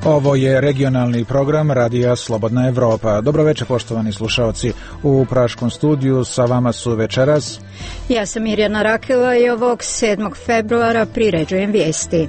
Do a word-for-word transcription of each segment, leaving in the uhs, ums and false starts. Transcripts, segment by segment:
Ovo je regionalni program Radija Slobodna Evropa. Dobro večer, poštovani slušaoci. U praškom studiju sa vama su večeras ja sam Mirjana Rakela i ovog sedmog februara priređujem vijesti.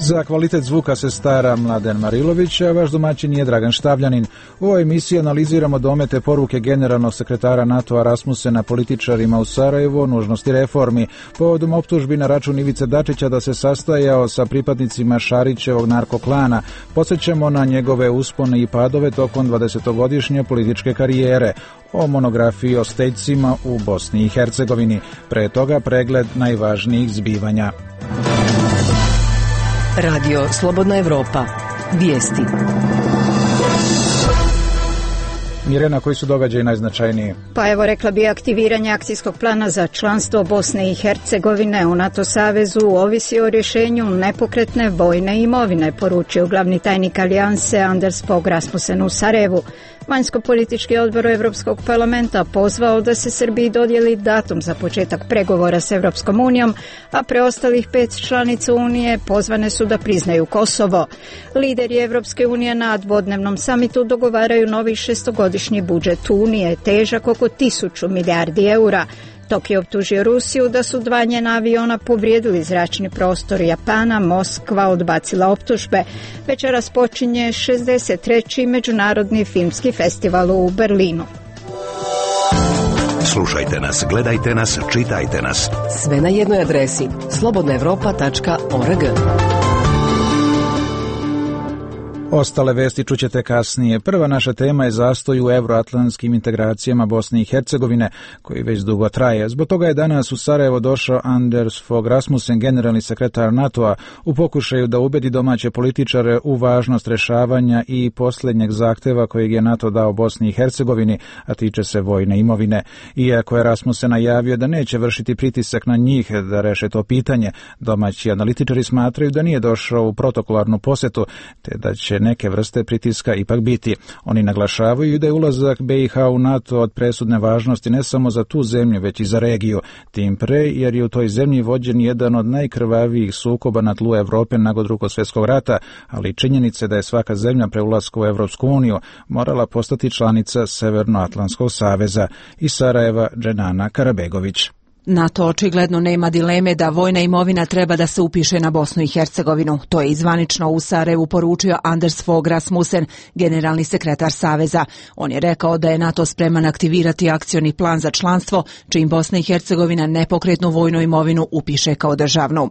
Za kvalitet zvuka se stara Mladen Marilović, a vaš domaćin je Dragan Štavljanin. U ovoj emisiji analiziramo domete poruke generalnog sekretara NATO-a Rasmusena političarima u Sarajevu o nužnosti reformi, povodom optužbi na račun Ivice Dačića da se sastajao sa pripadnicima Šarićevog narkoklana. Podsjećamo na njegove uspone i padove tokom dvadesetogodišnje političke karijere, o monografiji o stećcima u Bosni i Hercegovini. Pre toga pregled najvažnijih zbivanja. Radio Slobodna Evropa. Vijesti. Mirjana, koji su događaji najznačajniji? Pa evo, rekla bi, aktiviranje akcijskog plana za članstvo Bosne i Hercegovine u NATO savezu ovisi o rješenju nepokretne vojne imovine, poručio glavni tajnik alijanse Anders Fogh Rasmussen u Sarajevu. Vanjsko-politički odbor Europskog parlamenta pozvao da se Srbiji dodijeli datum za početak pregovora s Europskom unijom, a preostalih pet članica Unije pozvane su da priznaju Kosovo. Lideri Europske unije na dvodnevnom samitu dogovaraju novi šestogodišnji budžet Unije, težak oko tisuću milijardi eura. Tokio optužio Rusiju da su dva njena aviona povrijedili zračni prostor Japana, Moskva odbacila optužbe. Večeras počinje šezdeset treći međunarodni filmski festival u Berlinu. Slušajte nas, gledajte nas, čitajte nas. Sve na jednoj adresi slobodna evropa tačka org. Ostale vesti čućete kasnije. Prva naša tema je zastoj u euroatlantskim integracijama Bosne i Hercegovine, koji već dugo traje. Zbog toga je danas u Sarajevo došao Anders Fogh Rasmussen, generalni sekretar NATO-a, u pokušaju da ubedi domaće političare u važnost rešavanja i posljednjeg zahteva kojeg je NATO dao Bosni i Hercegovini, a tiče se vojne imovine. Iako je Rasmussen najavio da neće vršiti pritisak na njih da reše to pitanje, domaći analitičari smatraju da nije došao u protokolarnu posjetu, te da će neke vrste pritiska ipak biti. Oni naglašavaju da je ulazak B i H u NATO od presudne važnosti ne samo za tu zemlju, već i za regiju. Tim pre, jer je u toj zemlji vođen jedan od najkrvavijih sukoba na tlu Evrope nakon Drugog svjetskog rata, ali činjenice da je svaka zemlja pre ulaska u Evropsku uniju morala postati članica Severnoatlantskog saveza. Iz Sarajeva, Dženana Karabegović. NATO očigledno nema dileme da vojna imovina treba da se upiše na Bosnu i Hercegovinu. To je izvanično u Sarajevu poručio Anders Fogh Rasmussen, generalni sekretar Saveza. On je rekao da je NATO spreman aktivirati akcioni plan za članstvo, čim Bosna i Hercegovina nepokretnu vojnu imovinu upiše kao državnu.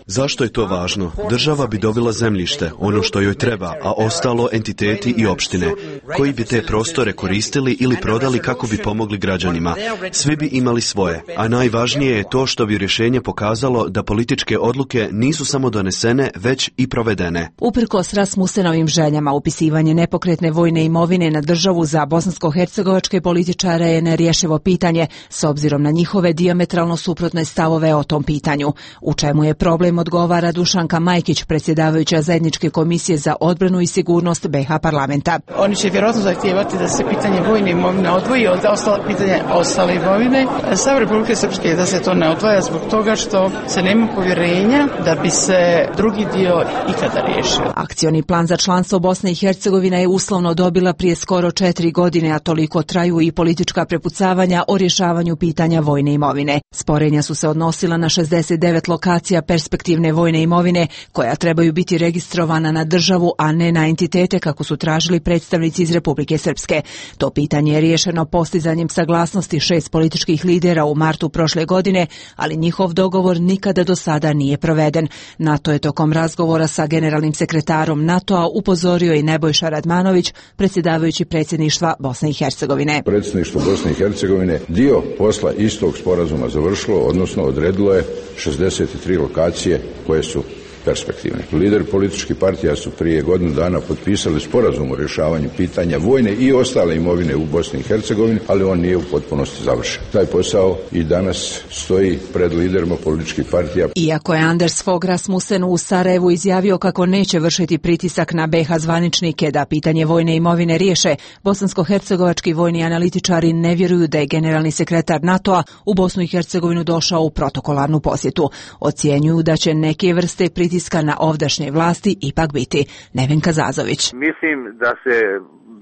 Zašto je to važno? Država bi dobila zemljište, ono što joj treba, a ostalo entiteti i opštine, koji bi te prostore koristili ili prodali kako bi pomogli građanima. Svi bi imali svoje, a najvažnije je to što bi rješenje pokazalo da političke odluke nisu samo donesene, već i provedene. Uprkos Rasmussenovim željama, upisivanje nepokretne vojne imovine na državu za bosansko-hercegovačke političare je nerješivo pitanje, s obzirom na njihove dijametralno suprotne stavove o tom pitanju. U čemu je problem, odgovara Dušanka Majkić, predsjedavajuća zajedničke komisije za odbranu i sigurnost B i H parlamenta. Oni će vjerojatno zahtijevati da se pitanje vojne imovine odvoji od ostala pitanja ostale imovine. Stav Republike Srpske je da se to ne odvaja zbog toga što se nema povjerenja da bi se drugi dio ikada riješio. Akcioni plan za članstvo Bosne i Hercegovine je uslovno dobila prije skoro četiri godine, a toliko traju i politička prepucavanja o rješavanju pitanja vojne imovine. Sporenja su se odnosila na šezdeset devet lokacija perspektivne vojne imovine koja trebaju biti registrovana na državu, a ne na entitete kako su tražili predstavnici iz Republike Srpske. To pitanje je riješeno postizanjem saglasnosti šest političkih lidera u martu prošle godine, ali njihov dogovor nikada do sada nije proveden. NATO je tokom razgovora sa generalnim sekretarom NATO-a upozorio i Nebojša Radmanović, predsjedavajući predsjedništva Bosne i Hercegovine. Predsjedništvo Bosne i Hercegovine dio posla istog sporazuma završilo, odnosno odredilo je šezdeset tri lokacije koje su perspektivni. Lideri političkih partija su prije godinu dana potpisali sporazum o rješavanju pitanja vojne i ostale imovine u Bosni i Hercegovini, ali on nije u potpunosti završen. Taj posao i danas stoji pred liderima političkih partija. Iako je Anders Fogh Rasmussen u Sarajevu izjavio kako neće vršiti pritisak na be ha zvaničnike da pitanje vojne imovine riješe, bosansko-hercegovački vojni analitičari ne vjeruju da je generalni sekretar NATO-a u Bosnu i Hercegovinu došao u protokolarnu posjetu. Ocjenjuju da će neke vrste pritiska na ovdašnje vlasti ipak biti. Nevenka Zazović. Mislim da se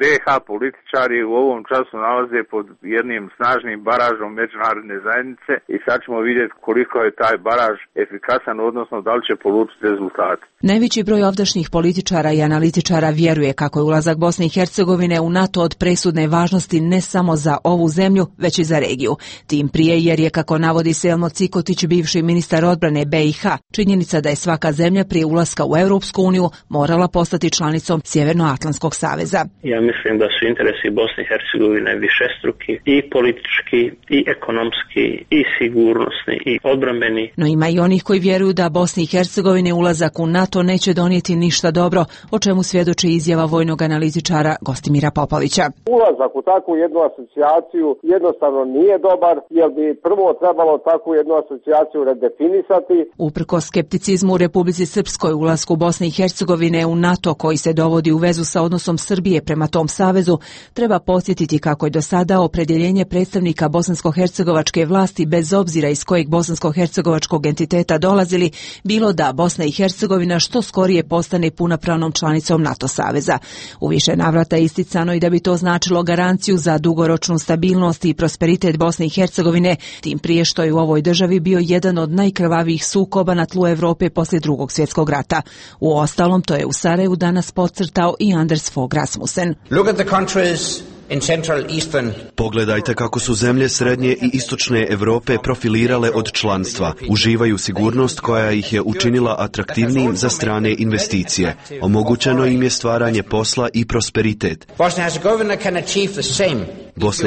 be ha političari u ovom času nalaze pod jednim snažnim baražom međunarodne zajednice i sad ćemo vidjeti koliko je taj baraž efikasan, odnosno da li će polučiti rezultate. Najveći broj ovdašnjih političara i analitičara vjeruje kako je ulazak Bosne i Hercegovine u NATO od presudne važnosti ne samo za ovu zemlju, već i za regiju. Tim prije jer je, kako navodi Selmo Cikotić, bivši ministar odbrane be i ha, činjenica da je svaka zemlja prije ulaska u Europsku uniju morala postati članicom Sjevernoatlantskog saveza. Ja mislim da su interesi Bosne i Hercegovine višestruki, i politički, i ekonomski, i sigurnosni, i odbrambeni. No ima i onih koji vjeruju da Bosni i Hercegovine ulazak u NATO neće donijeti ništa dobro, o čemu svjedoči izjava vojnog analitičara Gostimira Popovića. Ulazak u takvu jednu asocijaciju jednostavno nije dobar, jer bi prvo trebalo takvu jednu asocijaciju redefinisati. Uprkos skepticizmu u Republici Srpskoj ulasku Bosne i Hercegovine u NATO, koji se dovodi u vezu sa odnosom Srbije prema tom savezu, treba podsjetiti kako je do sada opredjeljenje predstavnika bosansko-hercegovačke vlasti, bez obzira iz kojeg bosansko-hercegovačkog entiteta dolazili, bilo da Bosna i Hercegovina što skorije postane punopravnom članicom NATO saveza. U više navrata je isticano i da bi to značilo garanciju za dugoročnu stabilnost i prosperitet Bosne i Hercegovine, tim prije što je u ovoj državi bio jedan od najkrvavijih sukoba na tlu Europe poslije Drugog svjetskog rata. U ostalom, to je u Sarajevu danas podcrtao i Anders Fogh Rasmussen. Look at the countries in Central Eastern. Pogledajte kako su zemlje srednje i istočne Europe profilirale od članstva. Uživaju sigurnost koja ih je učinila atraktivnijim za strane investicije. Omogućeno im je stvaranje posla i prosperitet. Bosna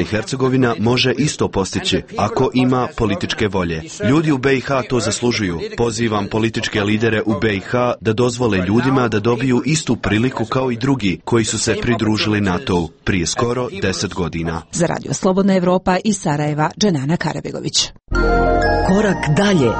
i Hercegovina može isto postići ako ima političke volje. Ljudi u be i ha to zaslužuju. Pozivam političke lidere u be i ha da dozvole ljudima da dobiju istu priliku kao i drugi koji su se pridružili NATO-u prije skoro deset godina. Za Radio Slobodna Evropa iz Sarajeva, Dženana Karabegović. Korak dalje.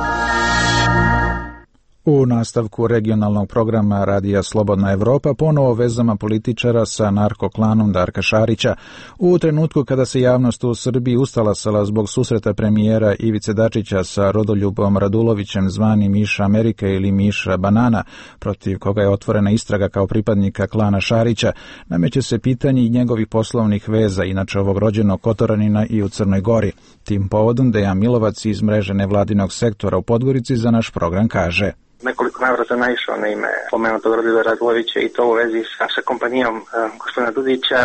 U nastavku regionalnog programa Radija Slobodna Evropa ponovo vezama političara sa narkoklanom Darka Šarića. U trenutku kada se javnost u Srbiji ustalasala zbog susreta premijera Ivice Dačića sa Rodoljubom Radulovićem, zvani Miša Amerike ili Miša Banana, protiv koga je otvorena istraga kao pripadnika klana Šarića, nameće se pitanje i njegovih poslovnih veza, inače ovog rođenog Kotoranina i u Crnoj Gori. Tim povodom Dejan Milovac iz mreže nevladinog sektora u Podgorici za naš program kaže: Nekoliko navrata naišao na ime pomenutog Rodoljuba Radulovića i to u vezi sa, sa kompanijom uh, gospodina Dudića,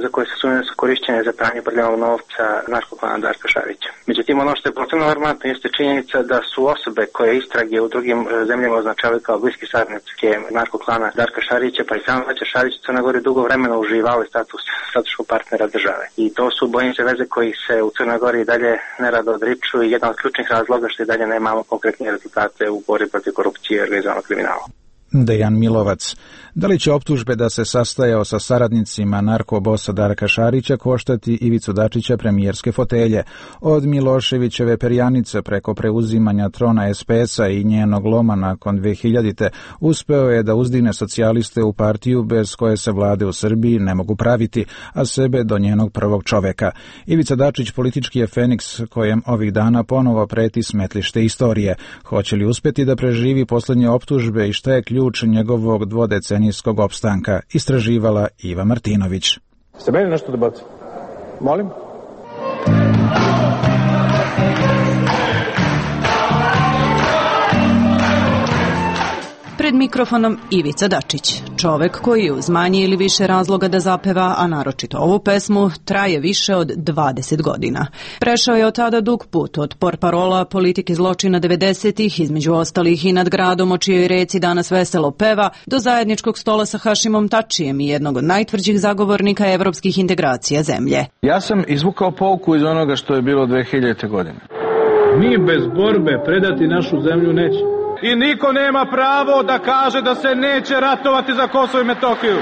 za koje se sumnje su korišćene za pranje prljavog novca narkoklana Darka Šarića. Međutim, ono što je potpuno alarmantno jeste činjenica da su osobe koje istrage u drugim zemljama označavaju kao bliski saradnici narkoklana Darka Šarića, pa i sam Vaća Šarić u Crnoj Gori dugo vremena uživali status strateškog partnera države. I to su, bojim se, veze koji se u Crnoj Gori i dalje nerado odriču i jedan od ključnih razloga što i dalje nemamo konkretne rezultate u borbi protiv korupcije i organizovanog kriminala. Dejan Milovac. Da li će optužbe da se sastajao sa saradnicima narkobosa Darka Šarića koštati Ivicu Dačića premijerske fotelje? Od Miloševićeve perjanice preko preuzimanja trona es pe es-a i njenog loma nakon dve hiljadite uspeo je da uzdigne socijaliste u partiju bez koje se vlade u Srbiji ne mogu praviti, a sebe do njenog prvog čoveka. Ivica Dačić politički je feniks kojem ovih dana ponovo preti smetlište istorije. Hoće li uspjeti da preživi posljednje optužbe i šta je ključ njegovog dvodecenijskog opstanka, istraživala Iva Martinović. Ste meni nešto da bacim? Molim? Pred mikrofonom Ivica Dačić, čovek koji uz manje ili više razloga da zapeva, a naročito ovu pesmu, traje više od dvadeset godina. Prešao je od tada dug put, od portparola politike zločina devedesetih, između ostalih i nad gradom o čijoj reci danas veselo peva, do zajedničkog stola sa Hašimom Tačijem i jednog od najtvrđih zagovornika evropskih integracija zemlje. Ja sam izvukao pouku iz onoga što je bilo dve hiljadite godine. Mi bez borbe predati našu zemlju nećemo. i niko nema pravo da kaže da se neće ratovati za Kosovo i Metohiju.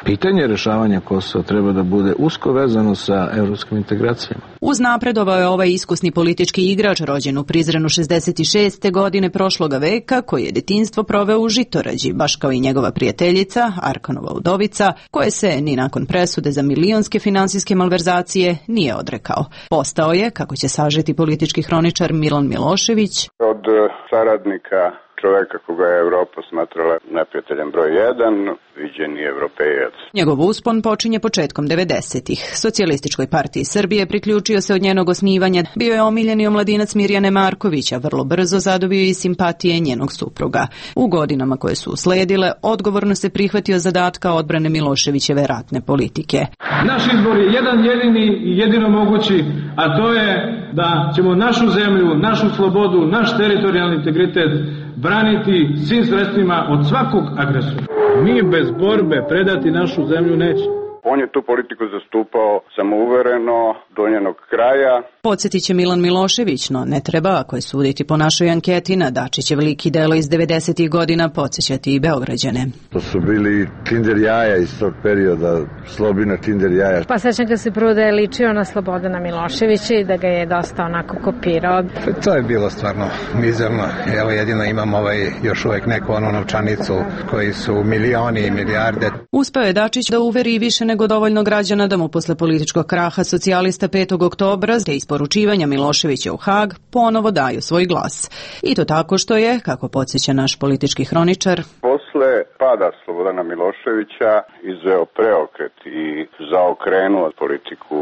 Pitanje rješavanja Kosova treba da bude usko vezano sa evropskim integracijama. Uznapredovao je ovaj iskusni politički igrač rođen u Prizrenu šezdeset šeste. godine prošloga veka, koji je detinjstvo proveo u Žitorađi, baš kao i njegova prijateljica, Arkanova udovica, koje se ni nakon presude za milionske finansijske malverzacije nije odrekao. Postao je, kako će sažeti politički hroničar Milan Milošević, od saradnika čoveka koga je Evropa smatrala neprijateljem broj jedan, viđeni evropejac. Njegov uspon počinje početkom devedesetih. Socijalističkoj partiji Srbije priključio se od njenog osnivanja. Bio je omiljeni omladinac Mirjane Markovića, vrlo brzo zadobio i simpatije njenog supruga. U godinama koje su usledile, odgovorno se prihvatio zadatka odbrane Miloševićeve ratne politike. Naš izbor je jedan jedini i jedino mogući, a to je da ćemo našu zemlju, našu slobodu, naš teritorijalni integritet braniti svim sredstvima od svakog agresora. Mi bez borbe predati našu zemlju nećemo. On je tu politiku zastupao samouvereno do njenog kraja. Podsjetit će Milan Milošević, no ne treba, ako je suditi po našoj anketi, na Dačićev lik i delo iz devedesetih godina podsjećati i Beograđane. To su bili Kinder jaja iz tog perioda, Slobina Kinder jaja. Pa sećam ga se prvo da je ličio na Slobodana Miloševića i da ga je dosta onako kopirao. To je bilo stvarno mizerno. Evo jedino imam ovaj još uvek neku onu novčanicu koji su milioni i milijarde. Uspeo je Dačić da uveri i više nego dovoljno građana da mu posle političkog kraha socijalista petog oktobra te isporučivanja Miloševića u Hag ponovo daju svoj glas. I to tako što je, kako podsjeća naš politički hroničar, posle pada Slobodana Miloševića izveo preokret i zaokrenuo politiku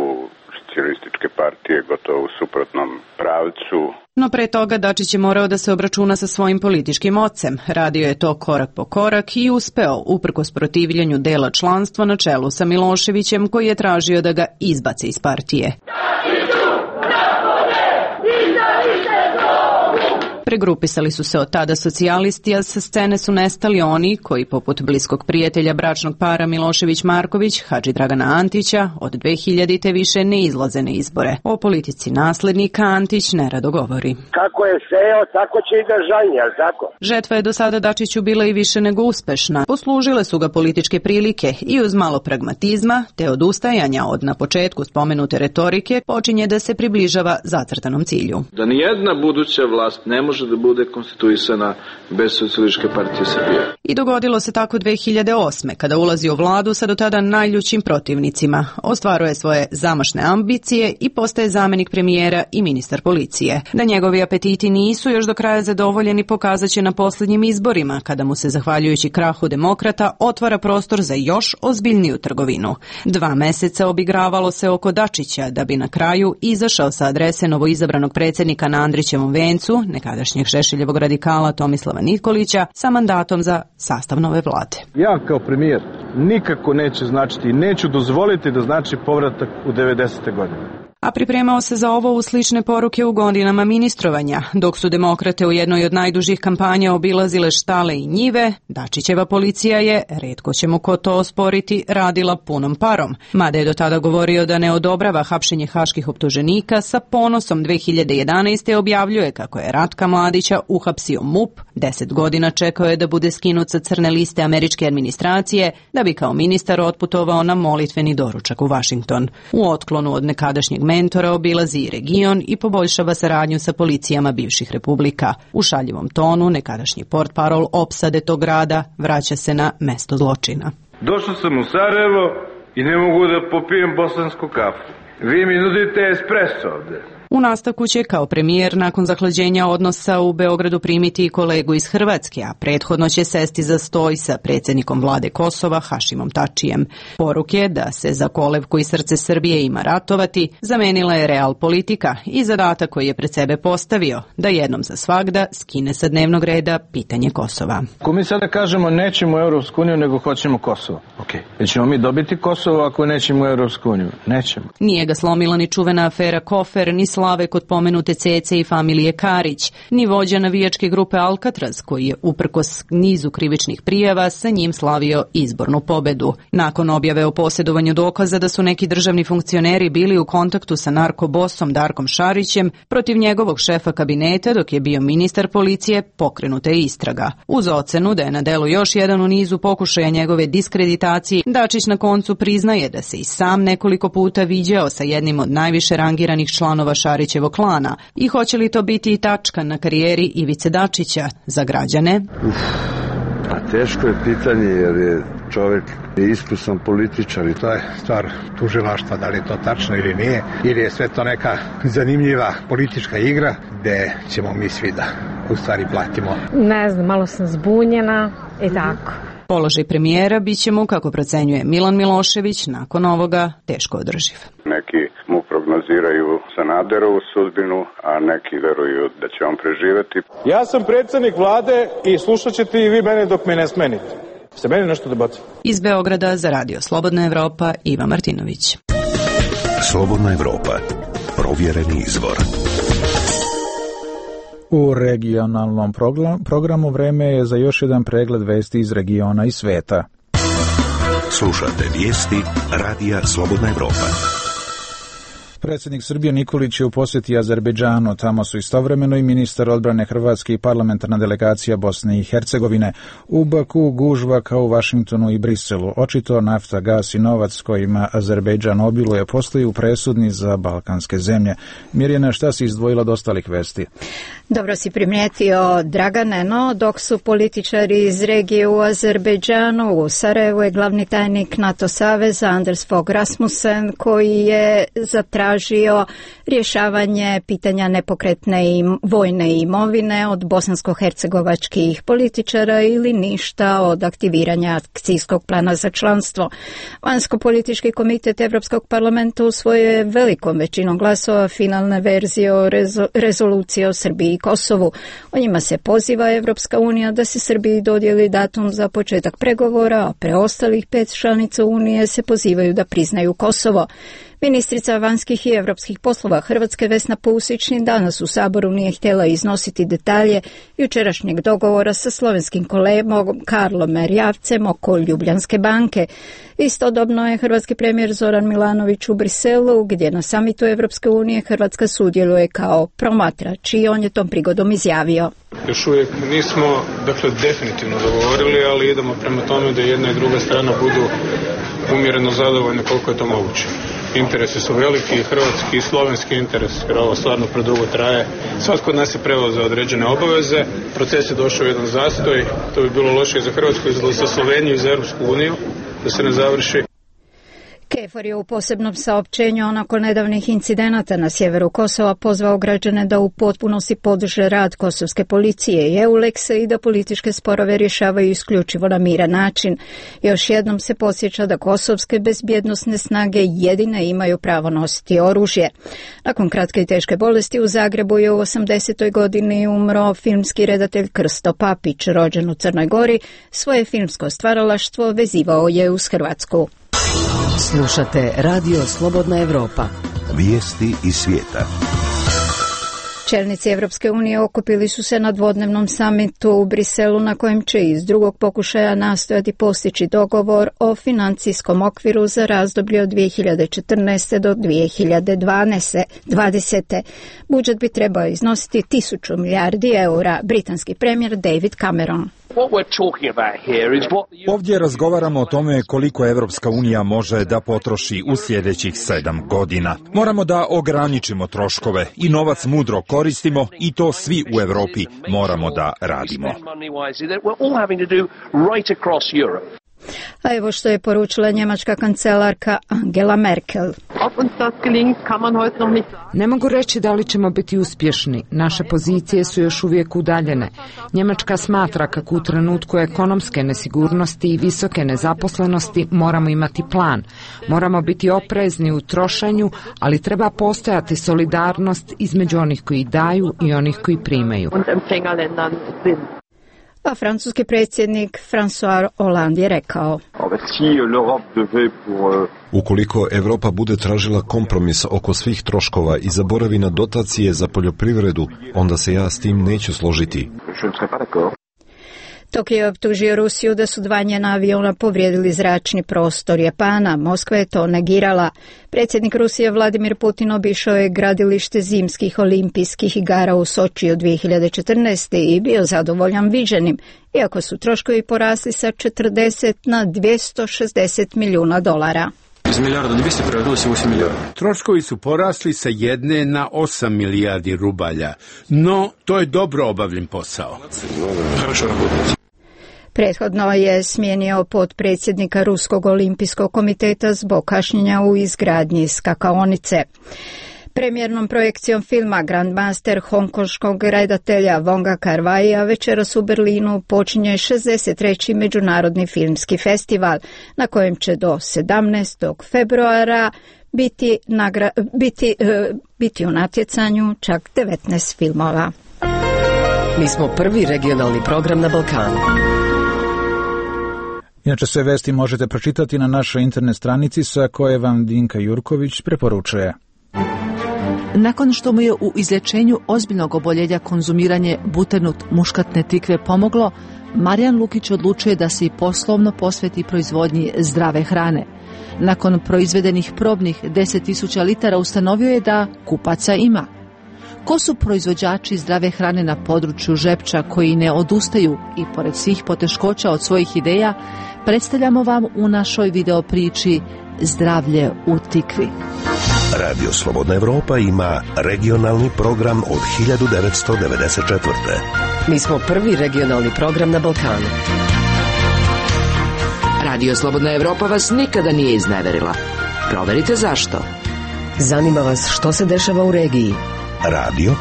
socijalističke partije gotovo u suprotnom pravcu. No pre toga Dačić je morao da se obračuna sa svojim političkim ocem. Radio je to korak po korak i uspeo, uprkos protivljenju dela članstva na čelu sa Miloševićem, koji je tražio da ga izbace iz partije. Pregrupisali su se od tada socijalisti, a sa scene su nestali oni koji, poput bliskog prijatelja bračnog para Milošević-Marković, Hadži Dragana Antića, od dve hiljadite više ne izlaze na izbore. O politici naslednika Antić nerado govori. Kako je seo, tako će i da žanje, ali tako? Žetva je do sada Dačiću bila i više nego uspešna. Poslužile su ga političke prilike i uz malo pragmatizma, te odustajanja od na početku spomenute retorike, počinje da se približava zacrtanom cilju. Da nijedna buduća vlast ne može da bude konstituisana bez Socijalističke partije Srbije. I dogodilo se tako dve hiljade osme. kada ulazi u vladu sa do tada najljućim protivnicima. Ostvaruje svoje zamašne ambicije i postaje zamenik premijera i ministar policije. Da njegovi apetiti nisu još do kraja zadovoljeni pokazat će na posljednjim izborima, kada mu se, zahvaljujući krahu demokrata, otvara prostor za još ozbiljniju trgovinu. Dva meseca obigravalo se oko Dačića, da bi na kraju izašao sa adrese novoizabranog predsjednika na Andrićevom vencu, nekadašnjeg Šešeljevog radikala Tomislava Nikolića, sa mandatom za sastav nove vlade. Ja kao premijer nikako neće značiti i neću dozvoliti da znači povratak u devedesete godine. A pripremao se za ovo u slične poruke u godinama ministrovanja. Dok su demokrate u jednoj od najdužih kampanja obilazile štale i njive, Dačićeva policija je, retko će mu ko to osporiti, radila punom parom. Mada je do tada govorio da ne odobrava hapšenje haških optuženika, sa ponosom dve hiljade jedanaeste. objavljuje kako je Ratka Mladića uhapsio MUP, deset godina čekao je da bude skinut sa crne liste američke administracije, da bi kao ministar otputovao na molitveni doručak u Washington. U otklonu od nekadašnjeg mentora obilazi i region i poboljšava saradnju sa policijama bivših republika. U šaljivom tonu nekadašnji portparol opsade tog grada vraća se na mesto zločina. Došao sam u Sarajevo i ne mogu da popijem bosansku kafu. Vi mi nudite espresso ovde. U nastavku će kao premijer nakon zahlađenja odnosa u Beogradu primiti i kolegu iz Hrvatske, a prethodno će sesti za stoj sa predsjednikom vlade Kosova Hašimom Tačijem. Poruke da se za kolevku i srce Srbije ima ratovati zamenila je real politika i zadatak koji je pred sebe postavio, da jednom za svagda skine sa dnevnog reda pitanje Kosova. Ako mi sada kažemo nećemo u Europsku uniju nego hoćemo Kosovo, okay. Nećemo mi dobiti Kosovo ako nećemo u Europsku uniju? Nećemo. Nije ga slomila ni čuvena afera Kofer, ni slave kod pomenute Cece i familije Karić, ni vođa navijačke grupe Alcatraz, koji je uprkos nizu krivičnih prijava sa njim slavio izbornu pobedu. Nakon objave o posjedovanju dokaza da su neki državni funkcioneri bili u kontaktu sa narkobosom Darkom Šarićem, protiv njegovog šefa kabineta dok je bio ministar policije, pokrenuta je istraga. Uz ocenu da je na delu još jedan u nizu pokušaja njegove diskreditacije, Dačić na koncu priznaje da se i sam nekoliko puta viđao sa jednim od najviše rangiranih članova Šarićevog klana. I hoće li to biti i tačka na karijeri Ivice Dačića za građane? Uf, a teško je pitanje jer je čovjek je iskusan političar i to je stvar tužilaštva, da li je to tačno ili nije, ili je sve to neka zanimljiva politička igra gde ćemo mi svi da u stvari platimo. Ne znam, malo sam zbunjena i tako. Položaj premijera bit će mu, kako procenjuje Milan Milošević, nakon ovoga teško održiv. Neki mu prognoziraju Sanaderovu sudbinu, a neki veruju da će on preživeti. Ja sam predsjednik vlade i slušat ćete i vi mene dok me ne smenite. Ste meni nešto dobacili? Iz Beograda za Radio Slobodna Evropa, Iva Martinović. Slobodna Evropa. Provjereni izvor. U regionalnom programu vreme je za još jedan pregled vesti iz regiona i sveta. Slušate vijesti Radija Slobodna Evropa. Predsjednik Srbije Nikolić je u posjeti Azerbejdžanu. Tamo su istovremeno i ministar odbrane Hrvatske i parlamentarna delegacija Bosne i Hercegovine. U Baku gužva kao u Vašingtonu i Briselu. Očito nafta, gas i novac kojima Azerbejdžan obiluje postaju presudni za balkanske zemlje. Mirjana, šta si izdvojila od ostalih vesti? Dobro si primijetio, Dragane, no dok su političari iz regije u Azerbejdžanu, u Sarajevu je glavni tajnik NATO saveza Anders Fogh Rasmussen, koji je zatražio rješavanje pitanja nepokretne i vojne imovine od bosansko-hercegovačkih političara ili ništa od aktiviranja akcijskog plana za članstvo. Vanjsko-politički komitet Evropskog parlamenta usvojio je velikom većinom glasova finalne verzije o rezo- rezolucije o Srbiji i Kosovu. O njima se poziva Evropska unija da se Srbiji dodijeli datum za početak pregovora, a preostalih pet članica Unije se pozivaju da priznaju Kosovo. Ministrica vanjskih i europskih poslova Hrvatske Vesna Pusić ni danas u Saboru nije htjela iznositi detalje jučerašnjeg dogovora sa slovenskim kolegom Karlom Erjavcem oko Ljubljanske banke. Istodobno je hrvatski premijer Zoran Milanović u Briselu, gdje na samitu Evropske unije Hrvatska sudjeluje kao promatrač i on je tom prigodom izjavio. Još uvijek nismo, dakle, definitivno dogovorili, ali idemo prema tome da jedna i druga strana budu umjereno zadovoljne koliko je to moguće. Interesi su veliki, hrvatski i slovenski interes, jer ovo stvarno predugo traje. Svatko od nas je preuzeo određene obaveze, proces je došao u jedan zastoj, to bi bilo loše i za Hrvatsku, i za Sloveniju i za Europsku uniju, da se ne završi. KFOR je u posebnom saopćenju nakon nedavnih incidenata na sjeveru Kosova pozvao građane da u potpunosti podrže rad kosovske policije i EULEX-a i da političke sporove rješavaju isključivo na miran način. Još jednom se podsjeća da kosovske bezbjednosne snage jedine imaju pravo nositi oružje. Nakon kratke i teške bolesti u Zagrebu je u osamdesetoj godini umro filmski redatelj Krsto Papić, rođen u Crnoj Gori. Svoje filmsko stvaralaštvo vezivao je uz Hrvatsku. Slušate Radio Slobodna Evropa. Vijesti iz svijeta. Čelnici Evropske unije okupili su se na dvodnevnom samitu u Briselu na kojem će iz drugog pokušaja nastojati postići dogovor o financijskom okviru za razdoblje od dvije hiljade četrnaeste do dvije hiljade dvadesete. Budžet bi trebao iznositi tisuću milijardi eura, britanski premijer David Cameron. Ovdje razgovaramo o tome koliko Evropska unija može da potroši u sljedećih sedam godina. Moramo da ograničimo troškove i novac mudro koristimo i to svi u Europi moramo da radimo. A evo što je poručila njemačka kancelarka Angela Merkel. Ne mogu reći da li ćemo biti uspješni. Naše pozicije su još uvijek udaljene. Njemačka smatra kako u trenutku ekonomske nesigurnosti i visoke nezaposlenosti moramo imati plan. Moramo biti oprezni u trošenju, ali treba postojati solidarnost između onih koji daju i onih koji primaju. A francuski predsjednik François Hollande je rekao: Ukoliko Europa bude tražila kompromis oko svih troškova i zaboravi na dotacije za poljoprivredu, onda se ja s tim neću složiti. Tokio je optužio Rusiju da su dva njena aviona povrijedili zračni prostor Japana. Moskva je to negirala. Predsjednik Rusije Vladimir Putin obišao je gradilište zimskih olimpijskih igara u Sočiju dvije hiljade četrnaeste. i bio zadovoljan viđenim, iako su troškovi porasli sa četrdeset na dvjesto šezdeset milijuna dolara. Iz milijarda dvjesto prevratilo se osam milijardi. Troškovi su porasli sa jedne na osam milijardi rubalja, no to je dobro obavljen posao. Prethodno je smijenio potpredsjednika Ruskog olimpijskog komiteta zbog kašnjenja u izgradnji skakaonice. Premijernom projekcijom filma Grandmaster hongkonškog redatelja Wonga Kar-waia večeras u Berlinu počinje šezdeset treći Međunarodni filmski festival, na kojem će do sedamnaestog februara biti, nagra, biti, uh, biti u natjecanju čak devetnaest filmova. Mi smo prvi regionalni program na Balkanu. Inače sve vesti možete pročitati na našoj internet stranici sa koje vam Dinka Jurković preporučuje. Nakon što mu je u izlječenju ozbiljnog oboljenja konzumiranje buternut muškatne tikve pomoglo, Marijan Lukić odlučuje da se i poslovno posveti proizvodnji zdrave hrane. Nakon proizvedenih probnih deset tisuća litara ustanovio je da kupaca ima. Ko su proizvođači zdrave hrane na području Žepča koji ne odustaju i pored svih poteškoća od svojih ideja, predstavljamo vam u našoj video priči Zdravlje u tikvi. Radio Slobodna Evropa ima regionalni program od hiljadu devetsto devedeset četvrte. Mi smo prvi regionalni program na Balkanu. Radio Slobodna Evropa vas nikada nije izneverila. Proverite zašto. Zanima vas što se dešava u regiji. Radio,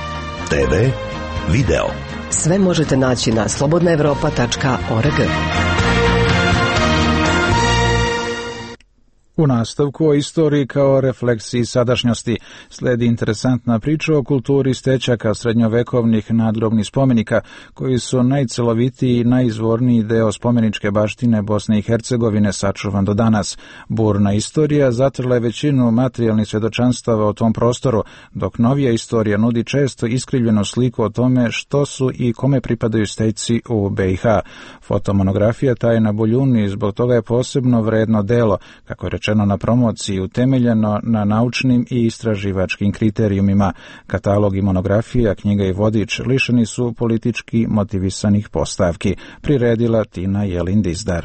te ve, video. Sve možete naći na slobodna evropa tačka org. U nastavku o istoriji kao refleksiji sadašnjosti sledi interesantna priča o kulturi stečaka srednjovekovnih nadgrobnih spomenika, koji su najcelovitiji i najizvorniji deo spomeničke baštine Bosne i Hercegovine sačuvan do danas. Burna istorija zatrla je većinu materijalnih svjedočanstava o tom prostoru, dok novija istorija nudi često iskrivljenu sliku o tome što su i kome pripadaju steci u be i ha. Fotomonografija Tajna Boljuni zbog toga je posebno vredno delo, kako je rečeno na promociji, utemeljeno na naučnim i istraživačkim kriterijumima. Katalog i monografija, knjiga i vodič lišeni su politički motivisanih postavki, priredila Tina Jelin-Dizdar.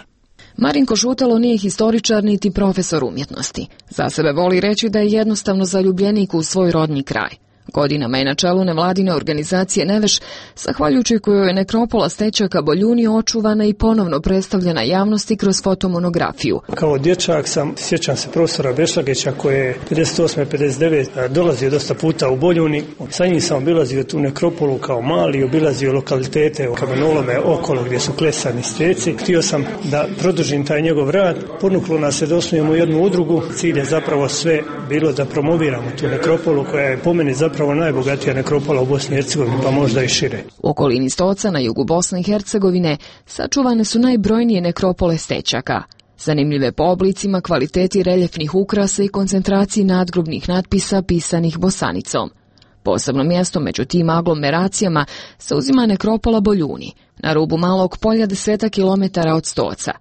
Marinko Šutalo nije historičar niti profesor umjetnosti. Za sebe voli reći da je jednostavno zaljubljenik u svoj rodni kraj. Godinama je na čelu nevladine organizacije Neveš, zahvaljujući kojoj je nekropola stečaka Boljuni očuvana i ponovno predstavljena javnosti kroz fotomonografiju. Kao dječak sam, sjećam se profesora Bešlagića koji je pedeset osme pedeset devete dolazio dosta puta u Boljuni. Sa njim sam obilazio tu nekropolu kao mali, obilazio lokalitete u kamenolome okolo gdje su klesani steci. Htio sam da produžim taj njegov rad. Ponuklo nas je da osnujemo jednu udrugu. Cilj je zapravo sve bilo da promoviramo tu nekropolu koja je po meni zapravo zapravo najbogatija nekropola u Bosni i Hercegovini, pa možda i šire. U okolini Stoca na jugu Bosne i Hercegovine sačuvane su najbrojnije nekropole stečaka. Zanimljive po oblicima, kvaliteti reljefnih ukrasa i koncentraciji nadgrobnih natpisa pisanih bosanicom. Posebno mjesto među tim aglomeracijama zauzima nekropola Boljuni, na rubu malog polja deseta kilometara od Stoca.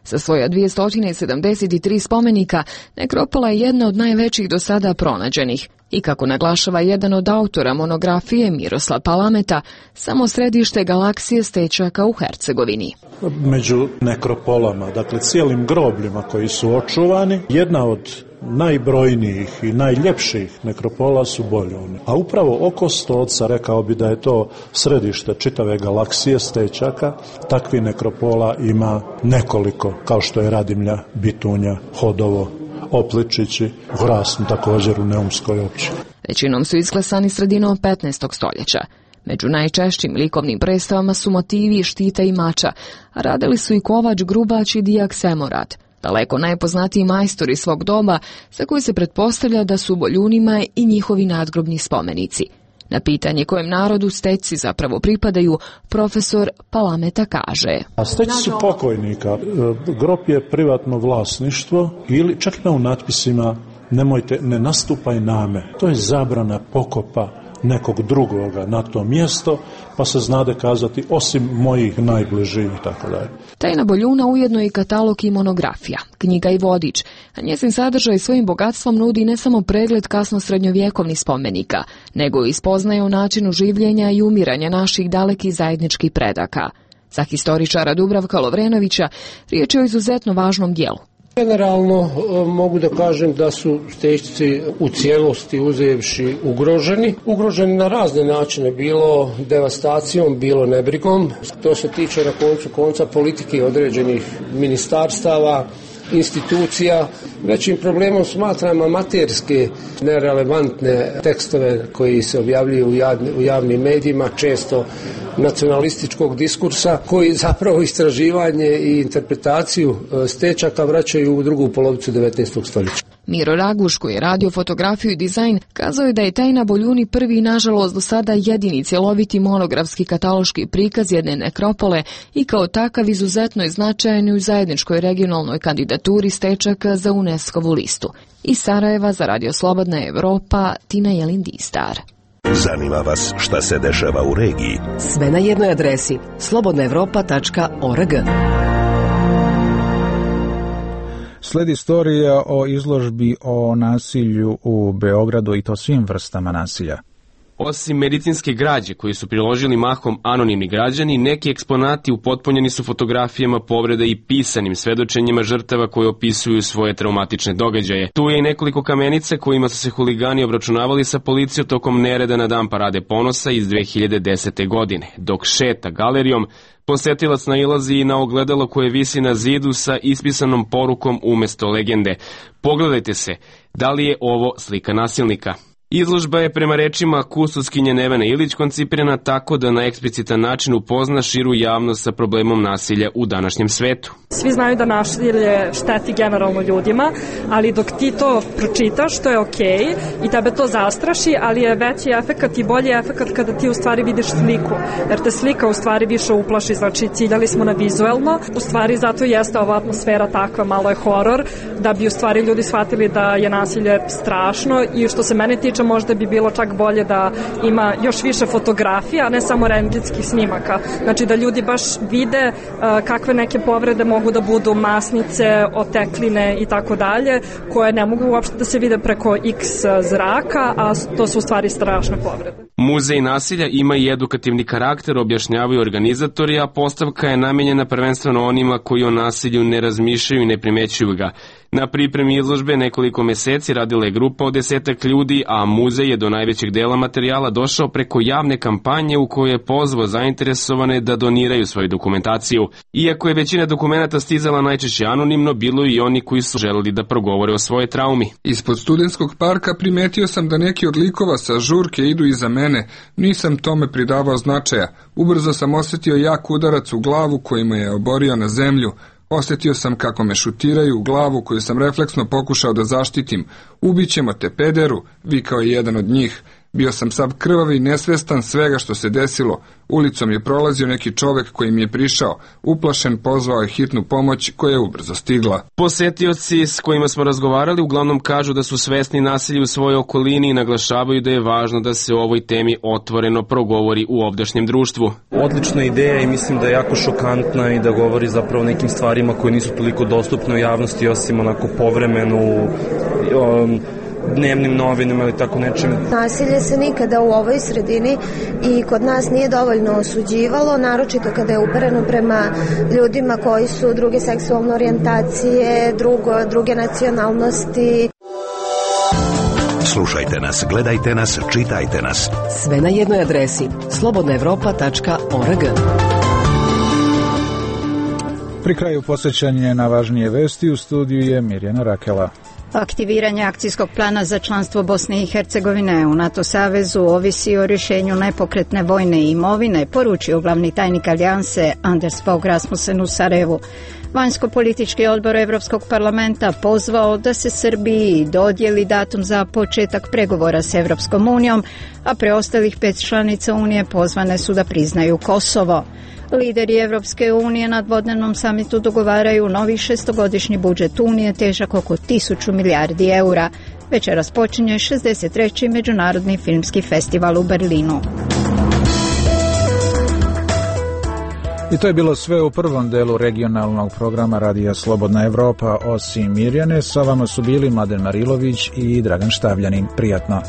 Sa svoja dvjesto sedamdeset tri spomenika, nekropola je jedna od najvećih do sada pronađenih i, kako naglašava jedan od autora monografije Miroslav Palameta, samo središte galaksije stečaka u Hercegovini. Među nekropolama, dakle cijelim grobljima koji su očuvani, jedna od najbrojnijih i najljepših nekropola su Boljuni. A upravo oko Stoca, rekao bi da je to središte čitave galaksije stečaka, takvi nekropola ima nekoliko, kao što je Radimlja, Bitunja, Hodovo, Opličići, Vrasno također u Neumskoj općini. Većinom su isklesani sredinom petnaestog stoljeća. Među najčešćim likovnim predstavama su motivi štita i mača, a radili su i kovač, grubač i dijak Semorad, daleko najpoznatiji majstori svog doba, za koji se pretpostavlja da su u Boljunima i njihovi nadgrobni spomenici. Na pitanje kojem narodu steci zapravo pripadaju, profesor Palameta kaže: A steci su pokojnika. Grob je privatno vlasništvo ili čak na u natpisima nemojte, ne nastupaj name. To je zabrana pokopa nekog drugoga na to mjesto, pa se znade kazati osim mojih najbližih i tako dalje. Tajna Boljuna ujedno je i katalog i monografija, knjiga i vodič, a njezin sadržaj svojim bogatstvom nudi ne samo pregled kasno srednjovjekovnih spomenika, nego i spoznaje o načinu življenja i umiranja naših dalekih zajedničkih predaka. Za historičara Dubravka Lovrenovića riječ je o izuzetno važnom dijelu. Generalno mogu da kažem da su Stećci u cijelosti uzevši ugroženi. Ugroženi na razne načine, bilo devastacijom, bilo nebrigom. To se tiče na koncu konca politike određenih ministarstava, institucija. Većim problemom smatram amaterske, nerelevantne tekstove koji se objavljuju u, javni, u javnim medijima, često nacionalističkog diskursa, koji zapravo istraživanje i interpretaciju Stečaka vraćaju u drugu polovicu devetnaestog stoljeća. Miro Raguš, koji je radio fotografiju i dizajn, kazao je da je Tajna Boljuni prvi i nažalost do sada jedini cjeloviti monografski kataloški prikaz jedne nekropole i kao takav izuzetno je značajan u zajedničkoj regionalnoj kandidaturi Stečaka za UNESCO-vu listu. Iz Sarajeva za Radio Slobodna Evropa, Tina Jelin-Distar. Zanima vas šta se dešava u regiji? Sve na jednoj adresi slobodna evropa tačka org. Sledi istorija o izložbi o nasilju u Beogradu i to svim vrstama nasilja. Osim medicinske građe koju su priložili mahom anonimni građani, neki eksponati upotpunjeni su fotografijama povreda i pisanim svedočenjima žrtava koje opisuju svoje traumatične događaje. Tu je i nekoliko kamenica kojima su se huligani obračunavali sa policijom tokom nereda na dan Parade ponosa iz dve hiljade desete. godine. Dok šeta galerijom, posetilac nailazi i na ogledalo koje visi na zidu sa ispisanom porukom umesto legende. Pogledajte se, da li je ovo slika nasilnika? Izložba je prema rečima kustoskinje Nevene Ilić koncipirana tako da na eksplicitan način upozna širu javnost sa problemom nasilja u današnjem svetu. Svi znaju da nasilje šteti generalno ljudima, ali dok ti to pročitaš, to je okej i tebe to zastraši, ali je veći efekat i bolji efekat kada ti u stvari vidiš sliku, jer te slika u stvari više uplaši, znači ciljali smo na vizuelno, u stvari zato jeste ova atmosfera takva, malo je horor, da bi u stvari ljudi shvatili da je nasilje strašno i što se mene tiče možda bi bilo čak bolje da ima još više fotografija, a ne samo rentgenskih snimaka. Znači da ljudi baš vide uh, kakve neke povrede mogu da budu masnice, otekline i tako dalje, koje ne mogu uopšte da se vide preko X zraka, a to su u stvari strašne povrede. Muzej nasilja ima i edukativni karakter, objašnjavaju organizatori, a postavka je namenjena prvenstveno onima koji o nasilju ne razmišljaju i ne primećuju ga. Na pripremi izložbe nekoliko meseci radila je grupa od desetak ljudi, a muzej je do najvećeg dela materijala došao preko javne kampanje u kojoj je pozvao zainteresovane da doniraju svoju dokumentaciju. Iako je većina dokumenata stizala najčešće anonimno, bilo i oni koji su želeli da progovore o svojoj traumi. Ispod Studentskog parka primetio sam da neki od likova sa žurke idu iza mene. Nisam tome pridavao značaja. Ubrzo sam osjetio jak udarac u glavu koji me je oborio na zemlju. Osjetio sam kako me šutiraju u glavu koju sam refleksno pokušao da zaštitim. Ubićemo te, pederu, vikao je jedan od njih. Bio sam sav krvav i nesvestan svega što se desilo. Ulicom je prolazio neki čovek koji mi je prišao. Uplašen pozvao je hitnu pomoć koja je ubrzo stigla. Posetioci s kojima smo razgovarali uglavnom kažu da su svesni nasilja u svojoj okolini i naglašavaju da je važno da se o ovoj temi otvoreno progovori u ovdašnjem društvu. Odlična ideja i mislim da je jako šokantna i da govori zapravo o nekim stvarima koje nisu toliko dostupne u javnosti osim onako povremenu um, dnevnim novinama ili tako nečim. Nasilje se nikada u ovoj sredini i kod nas nije dovoljno osuđivalo, naročito kada je upereno prema ljudima koji su druge seksualne orijentacije, drugo, druge nacionalnosti. Slušajte nas, gledajte nas, čitajte nas. Sve na jednoj adresi slobodna evropa tačka org. Pri kraju posjećanje na važnije vesti, u studiju je Mirjana Rakela. Aktiviranje akcijskog plana za članstvo Bosne i Hercegovine u NATO savezu ovisi o rješenju nepokretne vojne imovine, poručio glavni tajnik alijanse Anders Fogh Rasmussen u Sarajevu. Vanjsko-politički odbor Europskog parlamenta pozvao da se Srbiji dodijeli datum za početak pregovora s Europskom unijom, a preostalih pet članica Unije pozvane su da priznaju Kosovo. Lideri Evropske unije na dvodnevnom samitu dogovaraju novi šestogodišnji budžet Unije težak oko tisuću milijardi eura. Večeras počinje šezdeset treći Međunarodni filmski festival u Berlinu. I to je bilo sve u prvom delu regionalnog programa Radija Slobodna Evropa. Osim Mirjane, sa vama su bili Mladen Marilović i Dragan Štavljanin. Prijatno.